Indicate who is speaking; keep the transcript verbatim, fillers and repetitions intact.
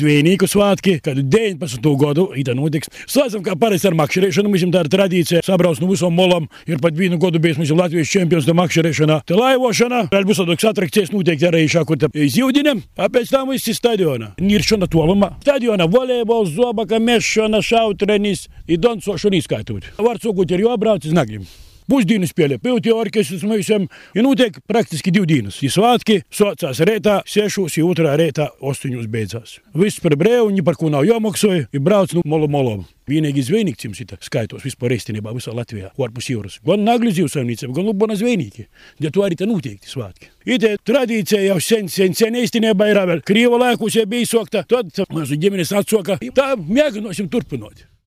Speaker 1: zvejnieku svētki, kad deviņpadsmito gadu ita notiks. Sācam, kā parasti ar makšerēšanu, mums tā ir tradīcija, sabrauc no visom molam, ir pat vienu gadu bijis mums Latvijas čempions tā makšerēšanā, tā laivošana, vēl būs tādas atrakcijas noteikti arī šākur tā zīvdinem, a pēc tam viss ir stadionā. Niršana tolumā. Stadionā volejbols, zobaka, mešana, šautrenis, i dancošana izskaitūt. Var sūkūt ir jābrauc iz Naglim. Pusdīnu spēlē, pilti orkestris mūsiem, ir notiek praktiski divi dienas. Ir svētki, sācās reitā, sešos, ir otrā reitā, ostoņos beidzās. Viss par brēvu, ni par ko nav jāmaksāja, ir brauc no molu molom. Vienīgi zvejnieki cim šita skaitos vispār reistenībā visā Latvijā, ārpus jūras. Gan Nagļu zivsaimniecība, gan Lubona zvejnieki. Ja to arī tā noteikti svētki. Ite tradīcija jau sen, sen, sen eistenībā ir vēl. Krīva laikos, ja bija sokta, tad mazu ģimenes atsoka. Tā mēģināsim turpināt.